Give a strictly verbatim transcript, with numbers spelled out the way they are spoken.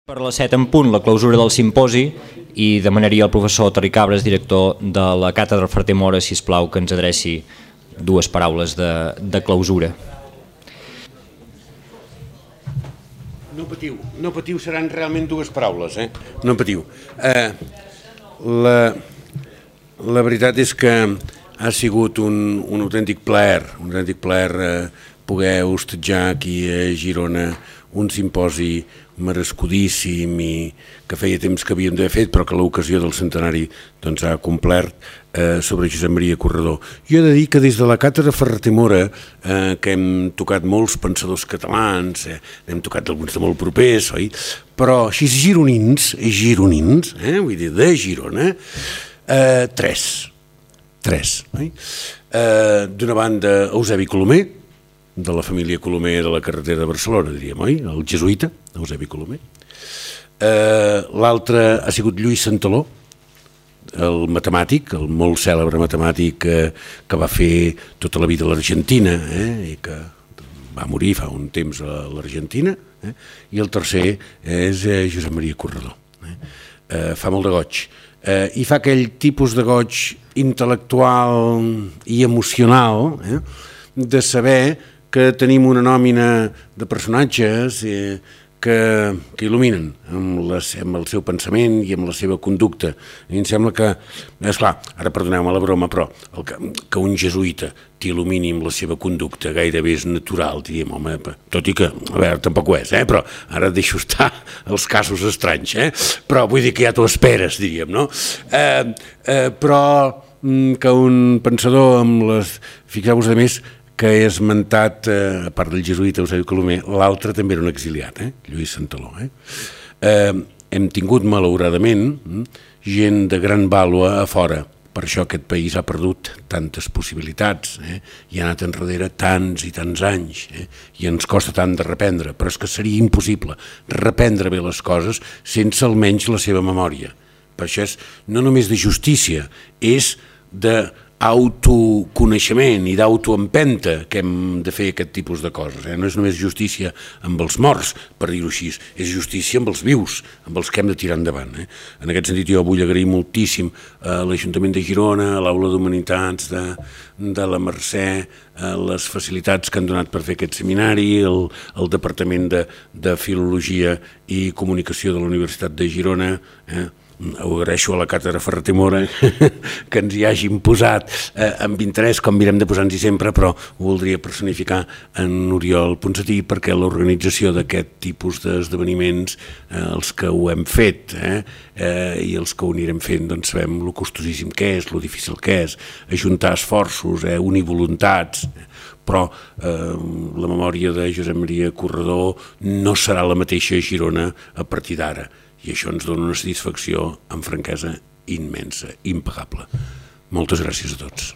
Per a les set en punt, la clausura del simposi, i demanaria al professor Toni Cabres, director de la Càtedra Ferrer Mora, sisplau, que ens adreci dues paraules de, de clausura. No patiu, no patiu, seran realment dues paraules, eh? No patiu. Eh, la, la veritat és que ha sigut un, un autèntic plaer, un autèntic plaer eh, poder hostatjar aquí a Girona un simposi merescudíssim i que feia temps que havíem d'haver fet, però que l'ocasió del centenari doncs, ha complert eh, sobre Josep Maria Corredor. Jo he de dir que des de la Càtedra Ferrer Mora, eh, que hem tocat molts pensadors catalans, eh, hem tocat alguns de molt propers, oi? Però així gironins, gironins, eh, vull dir, de Girona, eh, tres, tres, oi? Eh, d'una banda, Eusebi Colomer, de la família Colomer de la carretera de Barcelona, diríem, oi? El jesuïta, Eusebi Colomer. Eh, L'altre ha sigut Lluís Santaló, el matemàtic, el molt cèlebre matemàtic eh, que va fer tota la vida a l'Argentina, eh, i que va morir fa un temps a l'Argentina, eh, i el tercer és eh, Josep Maria Corredor. Eh. Eh, fa molt de goig. Eh, I fa aquell tipus de goig intel·lectual i emocional eh, de saber que tenim una nòmina de personatges eh, que, que il·luminen amb, les, amb el seu pensament i amb la seva conducta. I em sembla que, esclar, ara perdoneu-me la broma, però el que, que un jesuïta t'il·lumini amb la seva conducta gairebé és natural, diríem, home, tot i que, a veure, tampoc ho és, eh? Però ara deixo estar els casos estranys, eh? Però vull dir que ja t'ho esperes, diríem, no? Eh, eh, però que un pensador amb les... Fixeu-vos, a més, que he esmentat, eh, a part del jesuïta Eusebi Colomer, l'altre també era un exiliat, eh? Lluís Santaló. Eh? Eh, hem tingut, malauradament, gent de gran vàlua a fora. Per això aquest país ha perdut tantes possibilitats, eh? I ha anat enrere tants i tants anys, eh? I ens costa tant de reprendre, però és que seria impossible reprendre bé les coses sense almenys la seva memòria. Per això és no només de justícia, és de autoconeixement i d'autoempenta que hem de fer aquest tipus de coses. Eh? No és només justícia amb els morts, per dir-ho així, és justícia amb els vius, amb els que hem de tirar endavant. Eh? En aquest sentit jo vull agrair moltíssim a l'Ajuntament de Girona, a l'Aula d'Humanitats de, de la Mercè, a les facilitats que han donat per fer aquest seminari, el, el Departament de, de Filologia i Comunicació de la Universitat de Girona, eh? Ho agraeixo a la Càtedra Ferrer Mora que ens hi hagin posat eh, amb interès, com mirem de posar-nos-hi sempre, però ho voldria personificar en Oriol Ponsatí perquè l'organització d'aquest tipus d'esdeveniments, eh, els que ho hem fet eh, eh, i els que ho anirem fent, doncs sabem lo costosíssim que és, lo difícil que és, ajuntar esforços, eh, unir voluntats, però eh, la memòria de Josep Maria Corredor no serà la mateixa a Girona a partir d'ara. I això ens dona una satisfacció amb franquesa immensa, impagable. Moltes gràcies a tots.